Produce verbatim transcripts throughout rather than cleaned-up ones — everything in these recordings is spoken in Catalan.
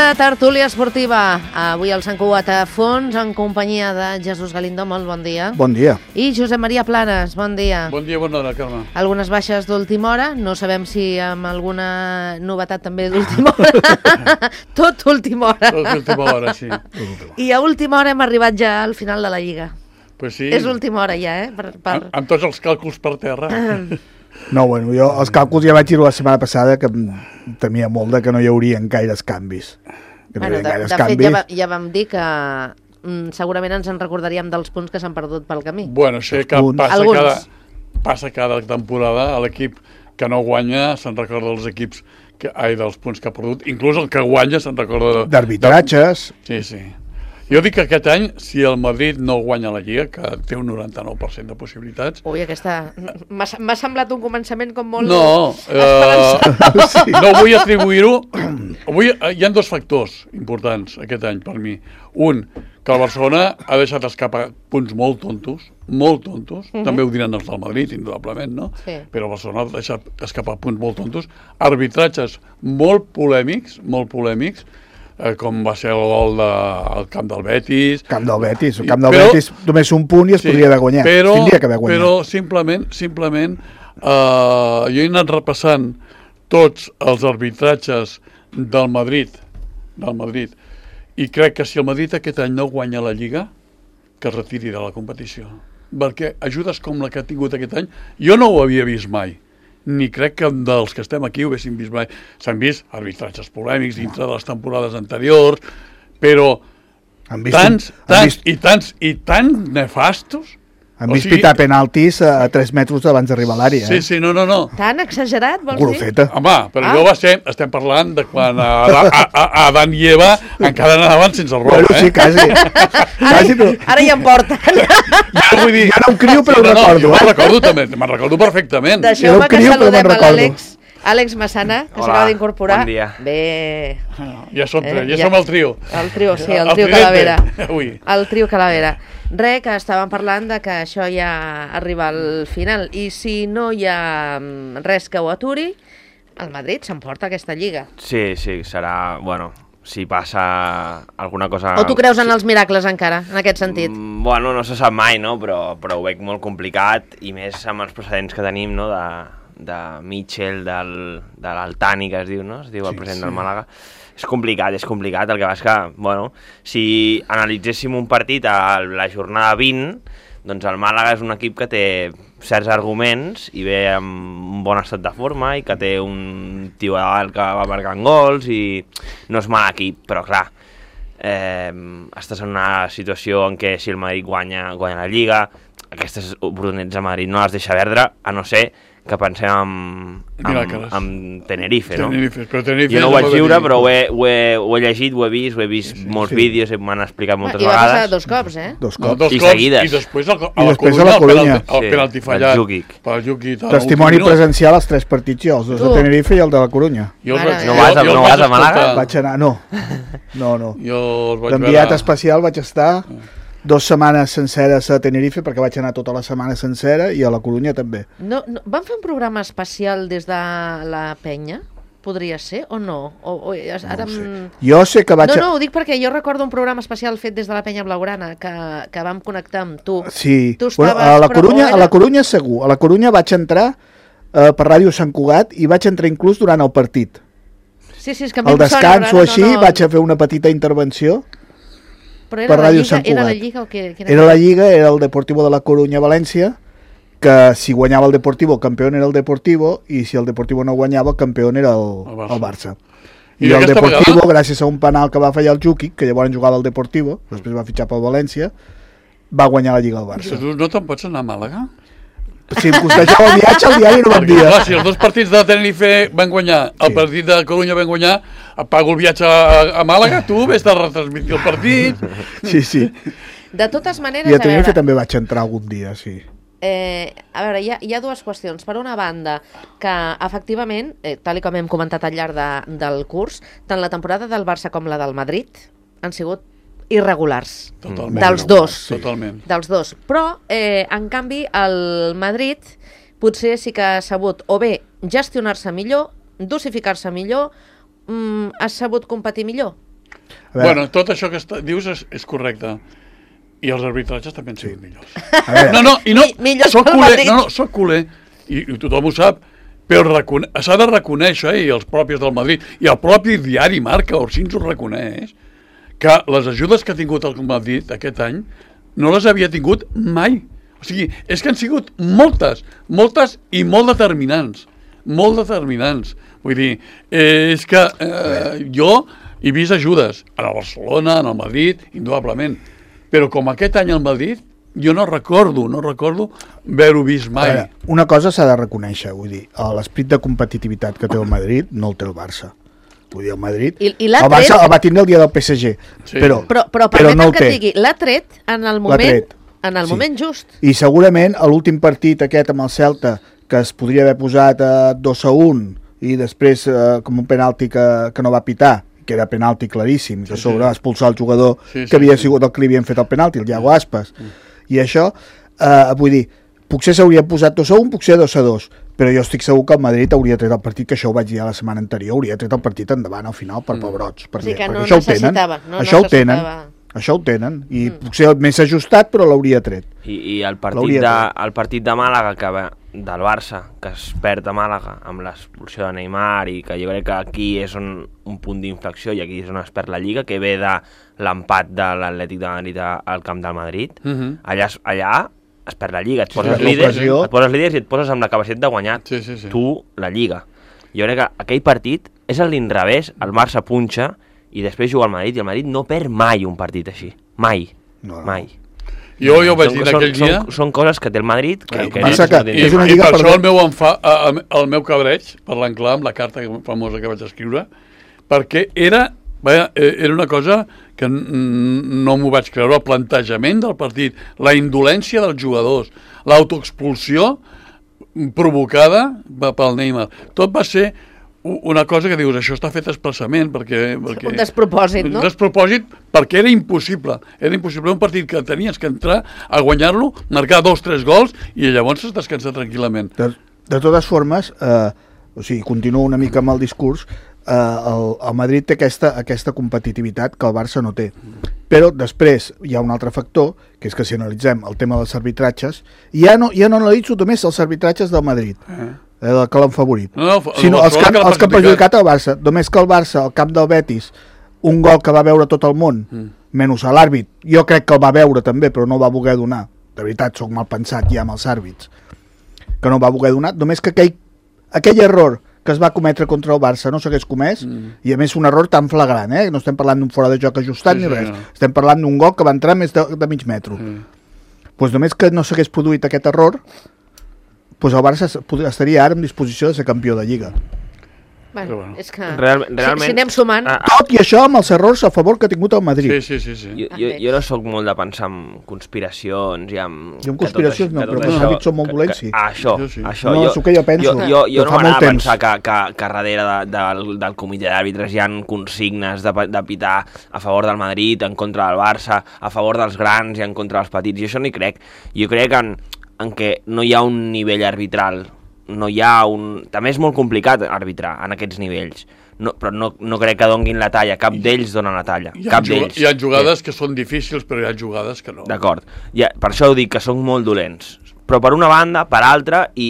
Bona tertúlia esportiva. Avui al Sant Cugat a fons en companyia de Jesús Galindo, molt bon dia. Bon dia. I Josep Maria Planes, bon dia. Bon dia, bona hora, Carme. Algunes baixes d'última hora, no sabem si amb alguna novetat també d'última hora. Tot última hora. Tot última hora, sí. I a última hora hem arribat ja al final de la Lliga. Pues sí. És última hora ja, eh? Per, per... Amb, amb tots els càlculs per terra. No, bueno, jo els càlculs ja vaig dir la setmana passada que temia molt de que no hi haurien gaires canvis. Que no bueno, hi de, gaires de canvis. fet, ja, va, ja vam dir que mm, segurament ens en recordaríem dels punts que s'han perdut pel camí. Bueno, sé que passa cada, passa cada temporada a l'equip que no guanya se'n recorda dels equips que, ai, dels punts que ha perdut. Inclús el que guanya se'n recorda... D'arbitratges. Sí, sí. Jo dic que aquest any, si el Madrid no guanya la Lliga, que té un noranta-nou per cent de possibilitats... Ui, aquesta... M'ha semblat un començament com molt... No, eh, sí. No vull atribuir-ho... Avui hi ha dos factors importants aquest any per mi. Un, que el Barcelona ha deixat escapar punts molt tontos, molt tontos, uh-huh. També ho diran els del Madrid, indudablement, no? Sí. Però el Barcelona ha deixat escapar punts molt tontos, arbitratges molt polèmics, molt polèmics, Eh, com va ser el gol de, al camp del Betis. Camp del Betis. El camp del però, Betis només un punt i es sí, podria haver guanyat. Però, Tindria que haver guanyat. Però simplement, simplement eh, jo he anat repassant tots els arbitratges del Madrid, del Madrid, i crec que si el Madrid aquest any no guanya la Lliga, que es retiri de la competició. Perquè ajudes com la que ha tingut aquest any, jo no ho havia vist mai. Ni crec que dels que estem aquí ho haguéssim vist mai. S'han vist arbitratges polèmics dintre de les temporades anteriors, però tants, tants i tants i tants nefastos. Han vist pitar penaltis a tres metres abans d'arribar a l'àrea. Sí, sí, no, no, no. Tan exagerat, vols Golfeta. dir? Home, però ah. jo va ser, estem parlant de quan a, a, a, a Adán i Eva encara anaven sense roba, bueno, eh? sí, quasi. quasi però... Ara ja em porten. Ja, vull dir, ja no em crio, però sí, ho no, recordo. No, jo me'n recordo també, me'n recordo perfectament. Deixeu-me que saludem a l'Àlex. Àlex Massana, que s'acaba d'incorporar. Bon dia. Bé. Ja som, eh, ja ja. som el trio. El trio, sí, el, el trio Calavera. Ui. El trio Calavera. Re, que estàvem parlant de que això ja arriba al final. I si no hi ha res que ho aturi, el Madrid s'emporta aquesta Lliga. Sí, sí, serà... Bueno, si passa alguna cosa... O tu creus en els miracles encara, en aquest sentit? Mm, bueno, no se sap mai, no? Però, però ho veig molt complicat, i més amb els precedents que tenim, no?, de... de Mitchell, del, de l'Altani, que es diu, no? Es diu el president sí, sí. del Màlaga. És complicat, és complicat. El que va és que, bueno, si analitzéssim un partit a la jornada vint, doncs el Màlaga és un equip que té certs arguments i ve amb un bon estat de forma i que té un tio alt que va marcant gols i no és mal equip, però clar, eh, estàs en una situació en què si el Madrid guanya, guanya la Lliga, aquestes oportunitats a Madrid no les deixa perdre, a no ser que pensem en, en, en Tenerife, no? Tenerife, però Tenerife jo no ho vaig viure, però ho he, ho, he, ho he llegit, ho he vist, ho he vist sí, molts sí. vídeos, m'han explicat moltes I vegades. I va passar dos cops, eh? Dos cops. No, dos I cops, seguides. I després a, a, I la, després Corunya, a la Corunya. El penalti, el penalti sí, fallat. Jukic. Per Jukic. Testimoni presencial als tres partits, jo, els dos tu. de Tenerife i el de la Corunya. Jo els vaig, no vas a, jo, no vas a Màlaga? Vaig anar, no. No, no. L'enviat veure... especial vaig estar... Dos setmanes senceres a Tenerife, perquè vaig anar tota la setmana sencera, i a la Corunya també. No, no, van fer un programa especial des de la penya? Podria ser, o no? O, o, ara... no sé. Jo sé que vaig... No, no, ho dic perquè jo recordo un programa especial fet des de la penya blaugrana, que, que vam connectar amb tu. Sí, tu bueno, a, la Corunya, era... a la Corunya segur. A la Corunya vaig entrar eh, per Ràdio Sant Cugat i vaig entrar inclús durant el partit. Sí, sí, és que a mi al descans sona, o així no, no... vaig a fer una petita intervenció. Però era la, Lliga, era la Lliga o què? Era la Lliga, era el Deportivo de la Corunya València, que si guanyava el Deportivo, campió era el Deportivo, i si el Deportivo no guanyava, campió era el, el Barça. El Barça. I, I el Deportivo, vegada... gràcies a un penal que va fallar el Jukic, que llavors jugava al Deportivo, després va fitxar pel València, va guanyar la Lliga al Barça. Tu no te'n pots anar a Màlaga? Si em costejava el viatge, el diari no me'n dia. Clar, si els dos partits de Tenerife van guanyar, el sí. partit de Corunya van guanyar, pago el viatge a, a Màlaga, tu vés de retransmitir el partit. Sí, sí. De totes maneres, I a Tenerife a veure, també vaig entrar algun dia, sí. Eh, a veure, hi ha, hi ha dues qüestions. Per una banda, que efectivament, eh, tal com hem comentat al llarg de, del curs, tant la temporada del Barça com la del Madrid han sigut irregulars. Totalment. Dels dos. Sí. Totalment. Dels dos. Però, eh, en canvi, el Madrid potser sí que ha sabut o bé gestionar-se millor, dosificar-se millor, mm, ha sabut competir millor. Bueno, tot això que està, dius és, és correcte. I els arbitratges també han sigut sí. millors. A veure. No, no, i no, Mi, soc culer, no, no, soc culer, i, i tothom ho sap, però s'ha de reconèixer, i els propis del Madrid, i el propi diari Marca, Orsins ho reconeix, que les ajudes que ha tingut el Madrid aquest any no les havia tingut mai. O sigui, és que han sigut moltes, moltes i molt determinants, molt determinants. Vull dir, eh, és que eh, jo he vist ajudes a la Barcelona, en el Madrid, indudablement, però com aquest any al Madrid, jo no recordo, no recordo haver-ho vist mai. Veure, una cosa s'ha de reconèixer, vull dir, l'esperit de competitivitat que té el Madrid no el té el Barça. Vull dir, el Madrid... I, i el Barça el va tindre el dia del P S G, sí. però, però, però, però no el que té. Et digui, l'ha tret en el moment, en el sí. moment just. I segurament a l'últim partit aquest amb el Celta, que es podria haver posat a dos a un i després eh, com un penalti que, que no va pitar, que era penalti claríssim, que sí, sobre sí. expulsar el jugador sí, sí, que havia sí. sigut el que li havien fet el penalti, el Iago Aspas. Mm. I això, eh, vull dir, potser s'hauria posat dos a un, potser dos a dos, però jo estic segur que el Madrid hauria tret el partit, que això ho vaig dir la setmana anterior, hauria tret el partit endavant al final per mm. pebrots, perquè, sí, que no perquè això ho tenen, no això ho tenen, això ho tenen, i mm. potser més ajustat, però l'hauria tret. I, i el, partit de, el partit de Màlaga, que va, del Barça, que es perd a Màlaga amb l'expulsió de Neymar, i que jo crec que aquí és un, un punt d'inflexió i aquí és on es perd la Lliga, que ve de l'empat de l'Atlètic de Madrid al camp del Madrid. Uh-huh. allà, allà es perd la Lliga, et poses, sí, líders, et poses líders i et poses amb la capacitat de guanyar sí, sí, sí. tu la Lliga. Jo crec que aquell partit és a l'inrevés, el Barça punxa i després juga al Madrid, i el Madrid no perd mai un partit així, mai, no, no. mai. Jo, jo vaig dir aquell dia... Són, són coses que té el Madrid que, que, que, que I, és una lliga i per això el meu, enfa, el, el meu cabreig, parlant clar amb la carta famosa que vaig escriure, perquè era, vaja, era una cosa que no m'ho vaig creure, el plantejament del partit, la indolència dels jugadors, l'autoexpulsió provocada pel Neymar. Tot va ser una cosa que dius, això està fet expressament, perquè... perquè un despropòsit, no? Un despropòsit perquè era impossible. Era impossible un partit que tenies que entrar a guanyar-lo, marcar dos, tres gols, i llavors es descansar tranquil·lament. De, de totes formes, eh, o sigui, continuo una mica amb el discurs, eh, el, el Madrid té aquesta, aquesta competitivitat que el Barça no té. Però després hi ha un altre factor, que és que si analitzem el tema dels arbitratges, ja no, ja no analitzo només els arbitratges del Madrid, eh. el que l'han favorit, no, no, sinó els que, els que han perjudicat el Barça. Només que el Barça, al camp del Betis, un gol que va veure tot el món, mm. menys a l'àrbit, jo crec que el va veure també, però no el va voler donar. De veritat, soc mal pensat ja amb els àrbits, que no el va voler donar. Només que aquell, aquell error que es va cometre contra el Barça no s'hagués comès, mm. i a més un error tan flagrant, eh? No estem parlant d'un fora de joc ajustat sí, ni res, sí, no. Estem parlant d'un gol que va entrar més de, de mig metro. Mm. Pues només que no s'hagués produït aquest error, pues el Barça estaria ara en disposició de ser campió de Lliga. Bueno, bueno. És que Real, realment, si, si anem sumant... Ah, tot i això amb els errors a favor que ha tingut el Madrid. Sí, sí, sí. sí. Jo, jo, jo no sóc molt de pensar en conspiracions i en... Jo en conspiracions no, però els àrbits són molt dolents, sí. Això, jo sí. això. No, jo, és el que jo penso. Jo, jo, jo no m'anava a pensar que, que, que darrere de, de, del, del comitè d'àrbitres hi ha consignes de, de pitar a favor del Madrid, en contra del Barça, a favor dels grans i en contra dels petits. Jo això no hi crec. Jo crec en, en que no hi ha un nivell arbitral, no hi ha un... També és molt complicat arbitrar en aquests nivells. No, però no, no crec que donguin la talla, cap d'ells donen la talla, hi ha, cap d'ells. Hi ha jugades sí. que són difícils, però hi ha jugades que no. D'acord, ja, per això ho dic, que són molt dolents. Però per una banda, per altra, i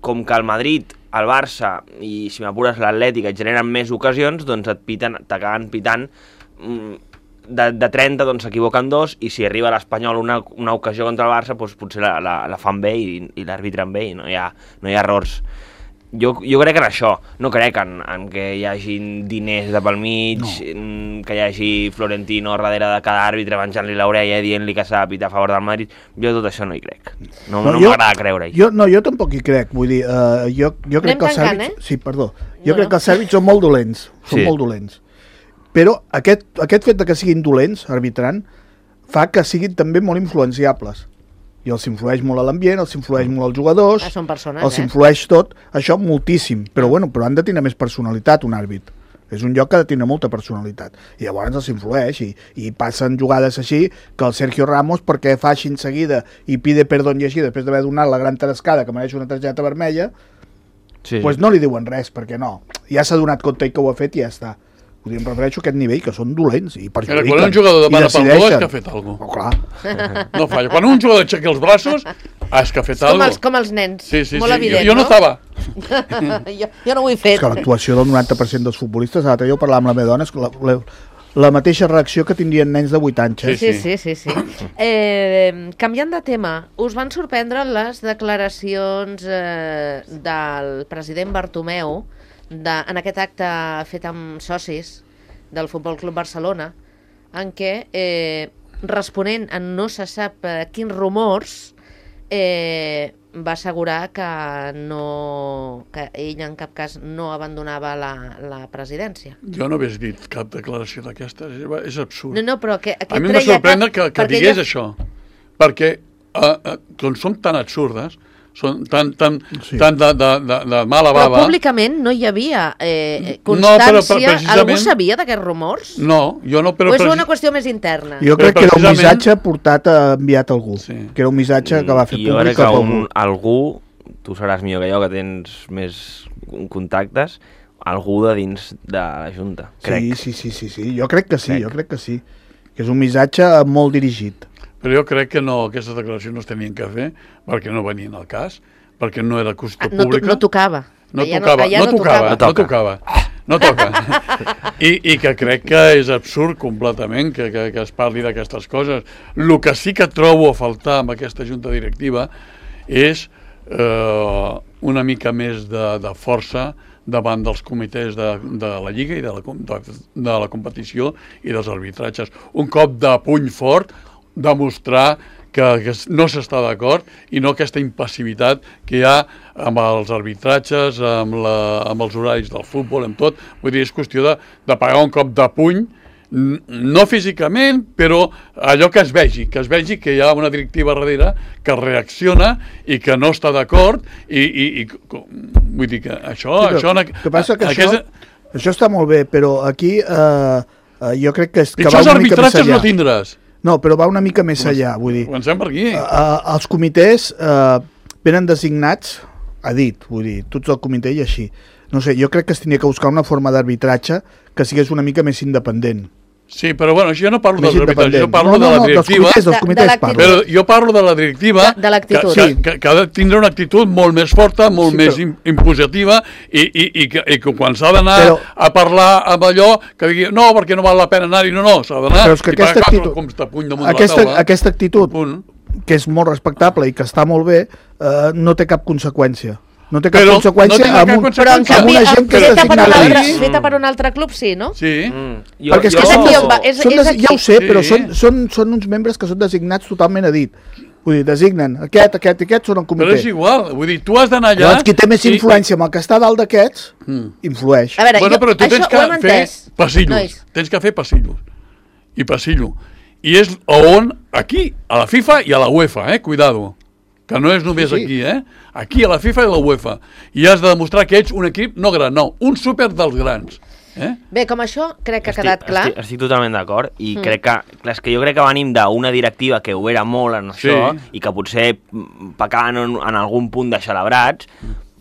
com que el Madrid, el Barça i, si m'apures, l'Atlètic et generen més ocasions, doncs et piten, t'acaben pitant de, de trenta, doncs s'equivoquen dos, i si arriba a l'Espanyol una, una ocasió contra el Barça, doncs potser la, la, la fan bé i, i l'arbitren bé, i no hi ha, no hi ha errors. Jo, jo crec en això, no crec en, en que hi hagi diners de pel mig, no. que hi hagi Florentino darrere de cada àrbitre menjant-li l'orella i dient-li que s'ha de pitar a favor del Madrid. Jo tot això no hi crec. No, no, no m'agrada creure-hi. Jo, no, jo tampoc hi crec. Vull dir, uh, jo, jo crec que els àrbits... Eh? Sí, perdó. Jo no, crec que els àrbits són molt dolents. Són sí. molt dolents. Però aquest, aquest fet de que siguin dolents, arbitrant, fa que siguin també molt influenciables. I els influeix molt a l'ambient, els influeix molt als jugadors, ah, són persones, els eh? influeix tot, això moltíssim, però bueno, però han de tenir més personalitat un àrbit. És un lloc que ha de tenir molta personalitat. I llavors els influeix i, i passen jugades així que el Sergio Ramos, perquè fa així en seguida i pide perdó i així, després d'haver donat la gran tarescada que mereix una targeta vermella, sí, pues no li diuen res, perquè no. Ja s'ha donat compte que ho ha fet i ja està. Vull dir, em refereixo a aquest nivell, que són dolents i perjudiquen. Quan un jugador demana pel gol és que ha fet alguna cosa. Oh, clar. No falla. Quan un jugador aixeca els braços, és que ha fet alguna cosa. Com els nens, sí, sí, molt sí. evident, jo, jo no, no? estava. jo, jo no ho he fet. És que l'actuació del noranta per cent dels futbolistes, l'altre dia ho parlàvem amb la meva dona, és la, la, la mateixa reacció que tindrien nens de vuit anys. Eh? Sí, sí, sí. sí, sí. Eh, canviant de tema, us van sorprendre les declaracions eh, del president Bartomeu de, en aquest acte fet amb socis del Futbol Club Barcelona, en què, eh, responent a no se sap eh, quins rumors, eh, va assegurar que, no, que ell en cap cas no abandonava la, la presidència. Jo no hagués dit cap declaració d'aquesta, és, és absurd. No, no, però que, que a mi em va sorprendre que, que digués ella... això, perquè eh, eh, com som tan absurdes, són tan, tan, sí. tan de, de, de, de mala bava... Però públicament no hi havia eh, constància... No, però, però precisament... Algú sabia d'aquests rumors? No, jo no... Però o és una qüestió més interna? Jo crec que era un missatge portat a enviat a algú. Sí. Que era un missatge que va fer jo públic a algú. algú, tu seràs millor que jo, que tens més contactes, algú de dins de la Junta, crec. Sí, sí, sí, sí, sí. Jo crec que sí, crec. jo crec que sí. Que és un missatge molt dirigit. Però jo crec que no, aquestes declaracions no es tenien que fer perquè no venien al cas, perquè no era qüestió ah, no, pública. No tocava. No tocava, no, no, tocava, no tocava. No toca. I, I que crec que és absurd completament que, que, que es parli d'aquestes coses. El que sí que trobo a faltar amb aquesta junta directiva és eh, una mica més de, de força davant dels comitès de, de la Lliga i de la, de, de la competició i dels arbitratges. Un cop de puny fort, demostrar que, que no s'està d'acord i no aquesta impassivitat que hi ha amb els arbitratges, amb, la, amb els horaris del futbol, amb tot. Vull dir, és qüestió de, de pagar un cop de puny, no físicament, però allò que es vegi, que es vegi que hi ha una directiva darrere que reacciona i que no està d'acord i, i, i vull dir que això... Sí, això que passa que aquesta... això, això està molt bé, però aquí eh, eh, jo crec que, és, que va una mica més allà. No tindràs. No, però va una mica més allà, vull dir. Comencem per aquí. Uh, els comitès uh, venen designats, ha dit, vull dir, tots el comitè i així. No sé, jo crec que es tenia que buscar una forma d'arbitratge que sigués una mica més independent. Sí, però bueno, jo no parlo dels arbitratges, jo parlo no, no, de la directiva. No, dels comitès, dels comitès de, de parlo. Però jo parlo de la directiva de, de l'actitud. Que, que, que, que ha de tindre una actitud molt més forta, molt sí, més però... impositiva i, i, i, que, i que quan s'ha d'anar però... a parlar amb allò, que digui, no, perquè no val la pena anar-hi, no, no, s'ha d'anar però és que i aquesta pagar actitud, com està puny damunt aquesta, de la taula. Aquesta actitud, que és molt respectable i que està molt bé, eh, no té cap conseqüència. No té cap però conseqüència no amb, un, però en canvi, amb una gent que feta, està per un altre, mm. feta per un altre club, sí, no? Sí. Mm. Jo, Perquè és jo... que són, és aquí, és, són és des, ja ho sé, sí. però són, són, són uns membres que són designats totalment a dit. Vull dir, designen aquest, aquest i aquest són el comitè. Però és igual, vull dir, tu has d'anar allà... Llavors, qui té més influència amb el que està dalt d'aquests, mm. influeix. A veure, bueno, però tu jo, tens que fer passillos, nois. tens que fer passillos. I passillo. I és on, aquí, a la FIFA i a la UEFA, eh, cuidado. Que no és només sí, sí. aquí, eh? Aquí a la FIFA i a la UEFA. I has de demostrar que ets un equip no gran, no, un súper dels grans. Eh? Bé, com això crec que ha estic, quedat clar. Estic, estic totalment d'acord i mm. crec que, clar, és que jo crec que venim d'una directiva que ho era molt en això sí. i que potser pecaven en, en algun punt de celebrats,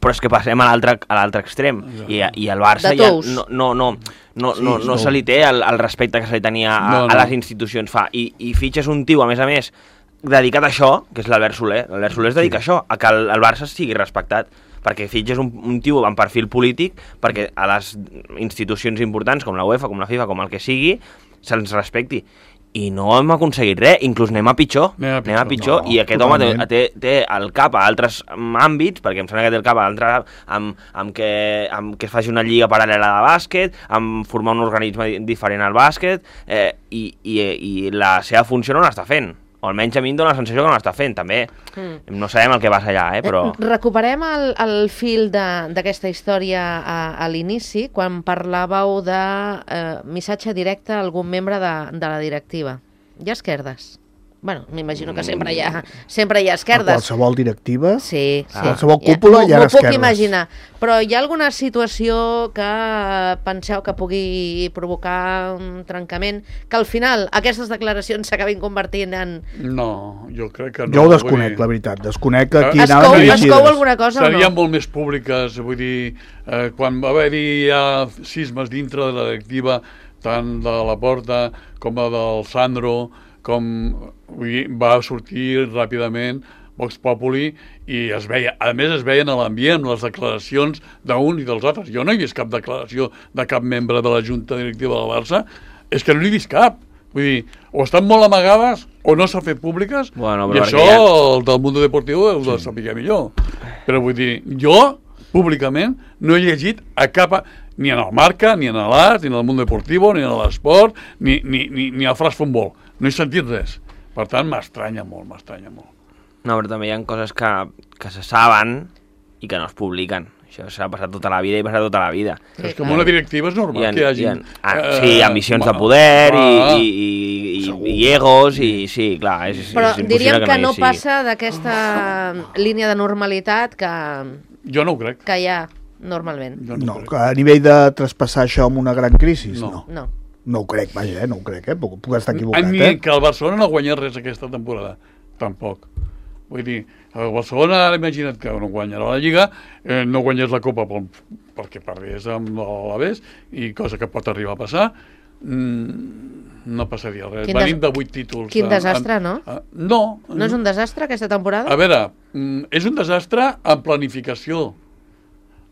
però és que passem a l'altre extrem I, i el Barça ja no, no, no, no, sí, no, no se li té el, el respecte que se li tenia a, no, no. a les institucions fa i, i fitxes un tio, a més a més, dedicat a això, que és l'Albert Soler. L'Albert Soler es dedica sí. a això, a que el, el Barça sigui respectat, perquè fitxes un, un tio amb perfil polític, perquè a les institucions importants, com la UEFA, com la FIFA, com el que sigui, se'ns respecti. I no hem aconseguit res, inclús anem a pitjor, anem a pitjor, anem a pitjor no, i aquest totalment. home té, té, té el cap a altres àmbits, perquè em sembla que té el cap a altre, amb, amb, que, amb que es faci una lliga paral·lela de bàsquet, amb formar un organisme diferent al bàsquet, eh, i, i, i la seva funció no l'està fent. O almenys a mi em dóna la sensació que no l'està fent, també. Mm. No sabem el que passa allà, eh, però... Recuperem el, el fil d'aquesta història a, a l'inici, quan parlàveu de eh, missatge directe a algun membre de, de la directiva. I esquerdes? Bueno, m'imagino que sempre hi ha, sempre hi ha esquerdes. A qualsevol directiva, sí, sí. a qualsevol cúpula hi ha esquerdes. M'ho puc imaginar. Però hi ha alguna situació que penseu que pugui provocar un trencament, que al final aquestes declaracions s'acabin convertint en... No, jo crec que no. Jo ho desconec, la veritat. Desconec que aquí es anaven cou, dirigides. Es cou alguna cosa o no? Serien molt més públiques, vull dir, eh, quan va haver-hi ja sismes dintre de la directiva, tant de la Porta com del Sandro, com vull dir, va sortir ràpidament Vox Populi i es veia, a més es veien a l'ambient les declaracions d'un i dels altres. Jo no he vist cap declaració de cap membre de la Junta Directiva del Barça, és que no n'he vist cap. Vull dir, o estan molt amagades o no s'han fet públiques, bueno, i això ja... el del Mundo Deportivo ho sí. Saber millor. Però vull dir, jo públicament no he llegit a cap... ni en el Marca, ni en l'Art, ni en el Mundo Deportivo, ni en l'Esport, ni, ni, ni, ni al Fras Futbol. No he sentit res. Per tant, m'estranya molt, m'estranya molt. No, però també hi ha coses que, que se saben i que no es publiquen. Això s'ha passat tota la vida i passat tota la vida. Sí, és que en una directiva és normal ha, que hi hagi... Ha, ah, sí, ambicions uh, de poder uh, i, i, i, i egos, i sí, clar, és, però és diríem que, que no, no passa d'aquesta línia de normalitat que... Jo no ho crec. Que hi ha normalment. No, no a nivell de traspassar això amb una gran crisi, no. No. no. No ho crec, vaja, eh? no ho crec, eh? Puc, puc estar equivocat, ni eh? que el Barcelona no guanya res aquesta temporada, tampoc. Vull dir, el Barcelona, ara imagina't que no guanyarà la Lliga, eh, no guanyés la Copa pel, perquè perdés amb l'Alavés, i cosa que pot arribar a passar, mm, no passaria res. Quin Venim de vuit títols. Quin desastre, en, no? En, no. No és un desastre aquesta temporada? A veure, mm, és un desastre en planificació.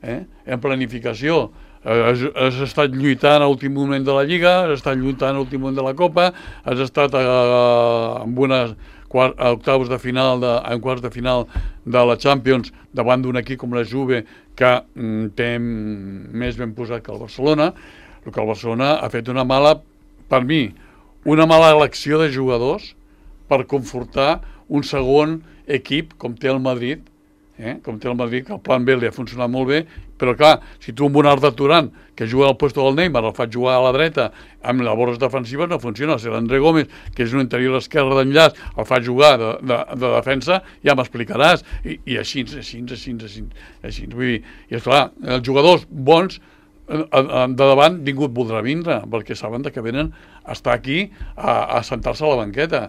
Eh? En planificació. Has, has estat lluitant a l'últim moment de la Lliga, has estat lluitant a l'últim moment de la Copa, has estat a, a, amb unes quart, a octaus de final, de, en quarts de final de la Champions davant d'un equip com la Juve que mm, té més ben posat que el Barcelona. El que el Barcelona ha fet una mala, per mi, una mala elecció de jugadors per confortar un segon equip com té el Madrid, eh? com té el Madrid, que el plan B li ha funcionat molt bé, però clar, si tu amb un Arda Turan que juga al lloc del Neymar el faig jugar a la dreta amb labors defensives no funciona. Si l'André Gómez, que és un interior esquerre d'enllaç, el faig jugar de, de, de defensa, ja m'explicaràs. I, i així, així, així, així, així. Vull dir, i esclar, els jugadors bons de davant ningú et voldrà vindre, perquè saben que venen a estar aquí a, a sentar-se a la banqueta.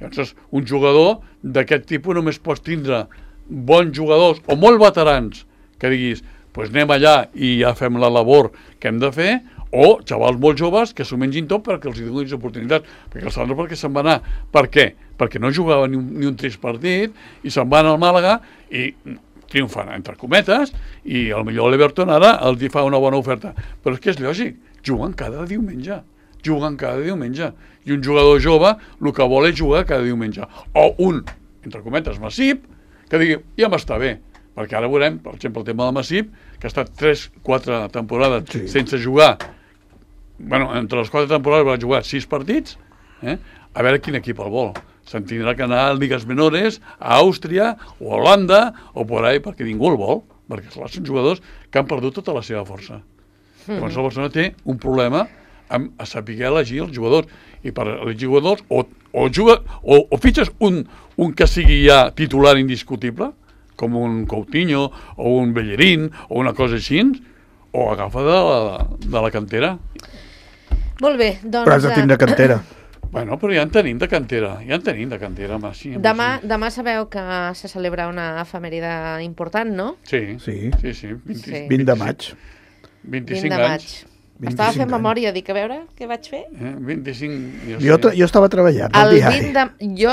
Llavors, un jugador d'aquest tipus només pots tindre bons jugadors o molt veterans que diguis, pues anem allà i ja fem la labor que hem de fer, o xavals molt joves que s'ho mengin tot perquè els donin oportunitats. Perquè el Sandro perquè se'n va anar. Per què? Perquè no jugava ni un, ni un trist partit i se'n va anar al Màlaga i triomfant, entre cometes, i potser l'Everton ara els fa una bona oferta. Però és que és lògic, juguen cada diumenge. Juguen cada diumenge. I un jugador jove el que vol és jugar cada diumenge. O un, entre cometes, Massip, que digui, ja m'està bé. Perquè ara veurem, per exemple, el tema del Massip, que ha estat tres quatre temporades sí. sense jugar. Bueno, entre les quatre temporades va jugar sis partits, eh? A veure quin equip el vol. Se'n tindrà que anar a Lligues Menores, a Àustria, o a Holanda, o por ahí, perquè ningú el vol. Perquè, clar, són jugadors que han perdut tota la seva força. Mm-hmm. Llavors, el Barcelona té un problema amb a saber elegir els jugadors. I per elegir jugadors, o, o, juga, o, o fitxes un, un que sigui ja titular indiscutible, com un Coutinho, o un Bellerín, o una cosa així, o agafa de la, de la cantera. Molt bé, doncs... Però has de tindre cantera. Bueno, però ja en tenim de cantera, ja en tenim de cantera. Home, sí, demà, sí. demà sabeu que se celebra una efemèride important, no? Sí, sí, sí, sí. vint, sí. vint de maig. vint-i-cinc vint de anys. Maig. Estava fent memòria, dic, a veure què vaig fer. Eh, vint-i-cinc... Jo, jo, jo estava treballant al diari. De... Jo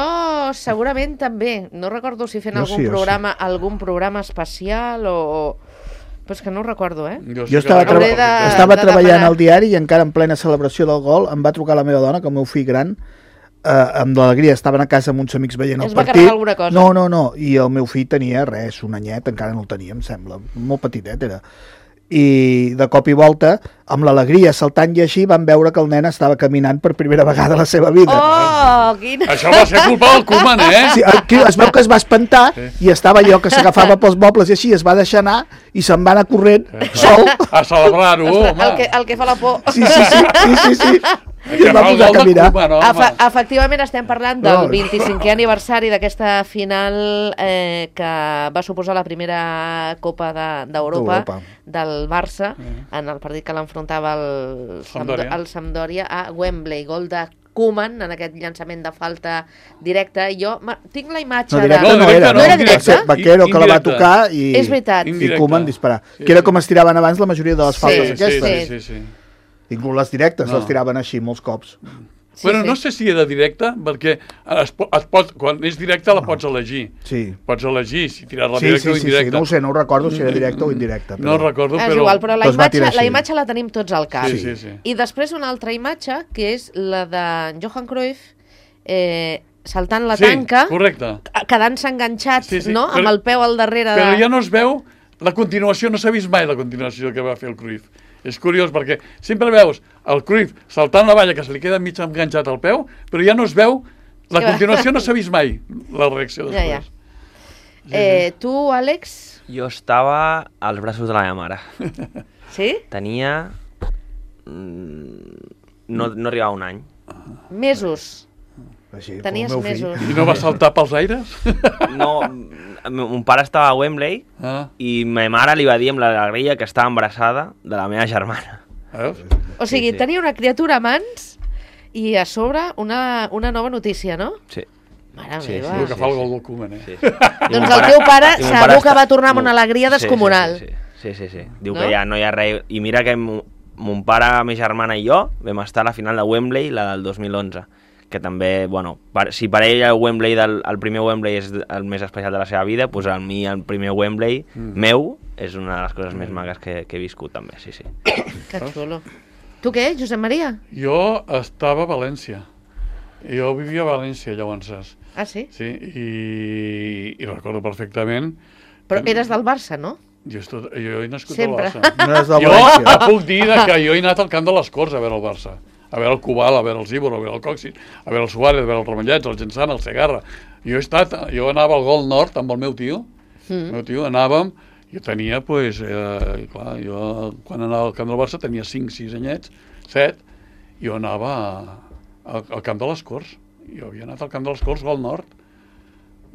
segurament també. No recordo si fent jo algun, sí, programa, sí. algun programa especial o... Però és que no ho recordo, eh? Jo, jo estava, tra... de, estava de treballant demanar. Al diari i encara en plena celebració del gol em va trucar la meva dona, que el meu fill gran, eh, amb l'alegria, estaven a casa amb uns amics veient el es partit. Es va carregar alguna cosa? No, no, no. I el meu fill tenia res, un anyet, encara no el tenia, em sembla. Molt petitet era. I de cop i volta, amb l'alegria saltant i així, van veure que el nen estava caminant per primera vegada a la seva vida. Oh, quina... Això va ser culpa del Koeman, eh? Sí, aquí es veu que es va espantar sí. I estava allò que s'agafava pels mobles i així, es va deixar anar i se'n va anar corrent sí. Sol. A celebrar-ho, home. El que, el que fa la por. Sí, sí, sí, sí, sí, sí. I va posar a caminar. No, Efe efectivament estem parlant del No. vint-i-cinquè aniversari d'aquesta final eh, que va suposar la primera Copa d'Europa de, del Barça, en el partit que l'enfrontava el, Sampdoria. el Sampdoria a Wembley, gol de Koeman en aquest llançament de falta directa. Jo tinc la imatge no, de... directe no, no era, no era directe? Vaquero que la va tocar i, és veritat. i Koeman disparar. Sí, que era com es tiraven abans la majoria de les faltes sí, aquestes. Sí, sí, sí. Inclús les directes no. les tiraven així molts cops. Sí, bueno, sí. no sé si era directa, perquè es, es pot, quan és directa la pots elegir. Sí. Pots elegir si tirar-la Sí, directa sí, o sí, indirecta. sí, no ho sé, no ho recordo si era directa o indirecta. No ho recordo, És però... igual, però la Doncs va imatge, tirar la així. imatge la tenim tots al cap. Sí, sí, sí. I després una altra imatge, que és la de Johan Cruyff eh, saltant la Sí, tanca, correcte. quedant-se enganxat, Sí, sí, no? però- amb el peu al darrere. Però de... ja no es veu la continuació, no s'ha vist mai la continuació que va fer el Cruyff. És curiós perquè sempre veus el Cruyff saltant la valla que se li queda mig enganxat al peu, però ja no es veu, la que va. continuació no s'ha vist mai, la reacció Ja, ja. després. Eh, tu, Àlex? Jo estava als braços de la meva mare. Sí? Tenia... mm, No, no arribava a un any. Mesos. Així, Tenies com el meu fill. mesos. I no va saltar pels aires? No, mon pare estava a Wembley Ah, i ma mare li va dir amb l'alegria que estava embarassada de la meva germana. veus? O sigui, Sí, sí. tenia una criatura a mans i a sobre una, una nova notícia, no? Sí. Mare Sí, meva. El que fa el gol del Koeman, eh? sí. Doncs el teu pare i mon segur que està- va tornar amb una Mon- alegria descomunal. Sí, sí, sí, sí, sí, sí. Diu No? que ja no hi ha res... I mira que mon, mon pare, la meva germana i jo vam estar a la final de Wembley, la del dos mil onze, que també, bueno, per, si per ell el Wembley del, el primer Wembley és el més especial de la seva vida, doncs a mi el primer Wembley Mm. meu és una de les coses més maques que, que he viscut també, sí, sí. Que xulo. Tu què, Josep Maria? Jo estava a València. Jo vivia a València, llavors. Ah, sí? Sí, i, i recordo perfectament... Però que- eres del Barça, no? Jo, estot, jo he nascut Sempre. al Barça. No és de Jo València. puc dir que jo he anat al camp de les Corts a veure el Barça. A veure el Cubal, a veure el Zíbor, a veure el Coxis, a veure el Suárez, a veure el Ramallets, el Gensana, el Segarra. Jo he estat, jo anava al Gol Nord amb el meu tio. Mm. El meu tio anàvem, jo tenia, pues, eh, clar, jo quan anava al camp del Barça tenia cinc, sis anyets, set, jo anava a, a, al camp de les Corts. Jo havia anat al camp de les Corts, Gol Nord.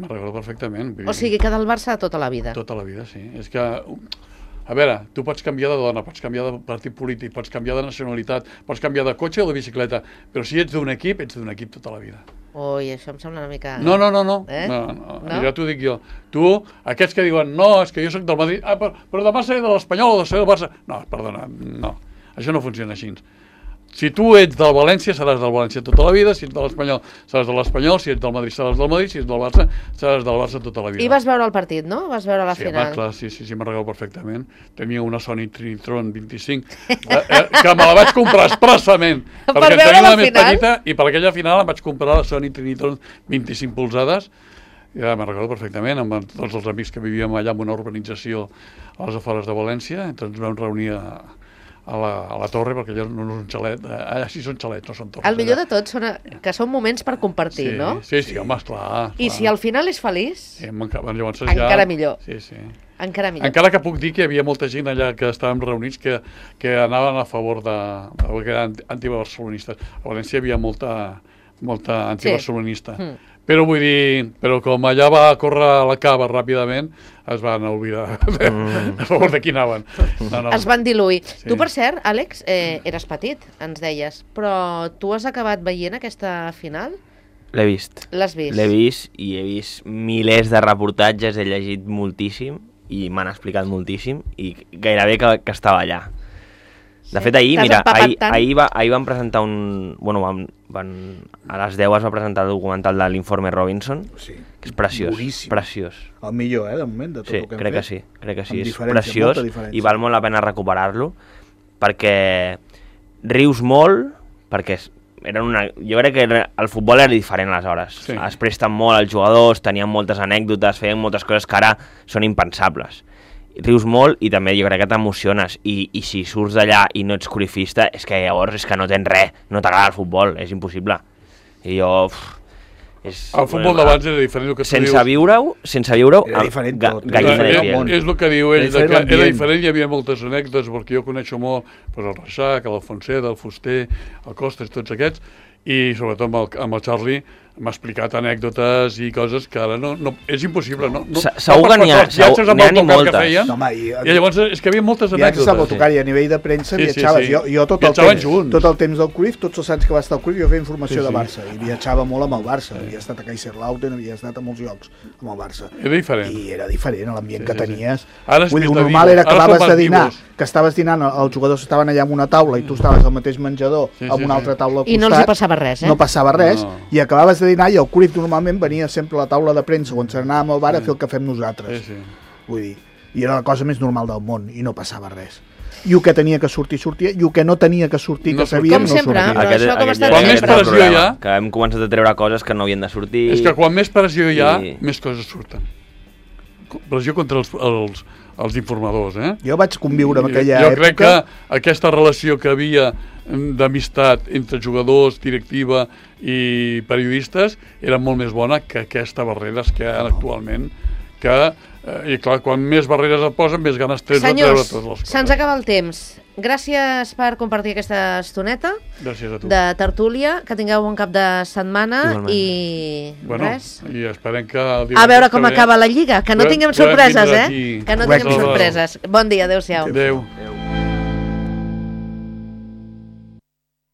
Me'n recordo perfectament. Vull O dir, sigui que del Barça tota la vida. tota la vida, sí. És que, a veure, tu pots canviar de dona, pots canviar de partit polític, pots canviar de nacionalitat, pots canviar de cotxe o de bicicleta, però si ets d'un equip, ets d'un equip tota la vida. Ui, això em sembla una mica... No, no, no, no. Eh? no, no. No? Ja t'ho dic jo. Tu, aquests que diuen, no, és que jo sóc del Madrid, ah, però, però demà seré de l'Espanyol o de ser del Barça. No, perdona, no. Això no funciona així. Si tu ets del València, seràs del València tota la vida, si ets de l'Espanyol, seràs de l'Espanyol, si ets del Madrid, seràs del Madrid, si ets del Barça, seràs del Barça tota la vida. I vas veure el partit, no? Vas veure la Sí, final. home, clar, sí, sí, sí, me'n recordo perfectament. Tenia una Sony Trinitron vint-i-cinc, eh, eh, que me la vaig comprar expressament, Per perquè veure tenia la la més final? petita, i per aquella final em vaig comprar la Sony Trinitron vint-i-cinc polzades, ja me'n recordo perfectament, amb tots els amics que vivíem allà en una urbanització a les afores de València, ens vam reunir a, a, la, a la torre, perquè allà no és un xalet, eh, allà sí són xalets, no són torres. El millor allà. de tot són, que són moments per compartir, sí, no? Sí, sí, home, esclar. I esclar. si al final és feliç, Sí, encara, llavors Encara ja... millor. Sí, sí. encara millor. Encara que puc dir que hi havia molta gent allà que estàvem reunits que, que anaven a favor de... que eren antibarcelonistes. A València hi havia molta, molta antibarcelonista. Mm. Però vull dir, però com allà va córrer la cava ràpidament, es van oblidar mm. a favor de qui anaven. No, no. Es van diluir. Sí. Tu, per cert, Àlex, eh, eres petit, ens deies, però tu has acabat veient aquesta final? L'he vist. L'has vist? L'he vist i he vist milers de reportatges, he llegit moltíssim i m'han explicat moltíssim i gairebé que, que estava allà. De Sí. fet, ahir, T'has mira, empapat ahir, tant? ahir, va, ahir van presentar un... Bueno, van, van, a les deu es va presentar el documental de l'informe Robinson, Sí. que és preciós, Boníssim. preciós. El millor, eh, de moment, de tot Sí, el que hem crec que fet. sí, crec que sí, Amb és diferència, preciós molta diferència. i val molt la pena recuperar-lo perquè rius molt, perquè és- eren una... jo crec que era- el futbol era diferent aleshores, Sí. es presten molt els jugadors, tenien moltes anècdotes, feien moltes coses que ara són impensables. Rius molt i també jo crec que t'emociones i, i si surts d'allà i no ets corifista és que llavors és que no tens res, no t'agrada el futbol, és impossible. I jo... Uf, És, el futbol bueno, d'abans era diferent. Que sense dius... viure-ho, sense viure-ho, era diferent ga, tot. gallina de piel. És el que diu ell, Era que era diferent. diferent, hi havia moltes anècdotes, perquè jo coneixo molt pues, el Reixac, l'Alfonset, el Fuster, el Costes, tots aquests, i sobretot amb el, amb el Charlie m'ha explicat anècdotes i coses que ara no, no és impossible. No, no, segur que n'hi ha, viatges amb el moltes. Que feien, no, home, i, i llavors és que hi havia moltes anècdotes. Viatges amb autocar i a nivell de premsa sí, viatjaves. Sí, sí. Jo, jo tot, el temps, junts. tot el temps del Cruyff, tots els anys que va estar al Cruyff, jo feia informació sí, sí. de Barça i viatjava molt amb el Barça. Sí. Havia estat a Kaiserslautern, havia estat a molts llocs amb el Barça. Era diferent. I era diferent, l'ambient sí, que tenies. Sí, sí. Ara Vull dir, normal era que acabaves de dinar, que estaves dinant, els jugadors estaven allà en una taula i tu estaves al mateix menjador sí, sí, amb una altra taula al costat. I no els hi passava res, eh? No passava res, no. I acabaves de dinar i el Cruyff normalment venia sempre a la taula de premsa on s'anàvem al bar a fer el que fem nosaltres. Sí, sí. Vull dir, i era la cosa més normal del món i no passava res. I el que tenia que sortir, sortia, i el que no tenia que sortir, no que sabíem, com no sempre, sortia. però això com està quan més pressió hi ha... Que hem començat a treure coses que no havien de sortir... És que quan més pressió hi ha, i... més coses surten. Pressió contra els, els, els informadors, eh? Jo vaig conviure en aquella jo època... Jo crec que aquesta relació que havia d'amistat entre jugadors, directiva i periodistes era molt més bona que aquesta barreres que hi ha actualment, que, eh, i clar, quan més barreres et posen, més ganes tens de treure totes les coses. Senyors, se'ns acaba el temps. Gràcies per compartir aquesta estoneta Gràcies a tu. de tertúlia, que tingueu un cap de setmana igualment. I bueno, res. I esperem que... A veure com acaba la Lliga, que no tinguem sorpreses, eh? Que no tinguem sorpreses. Bon dia, adéu-siau. Adéu. Adéu.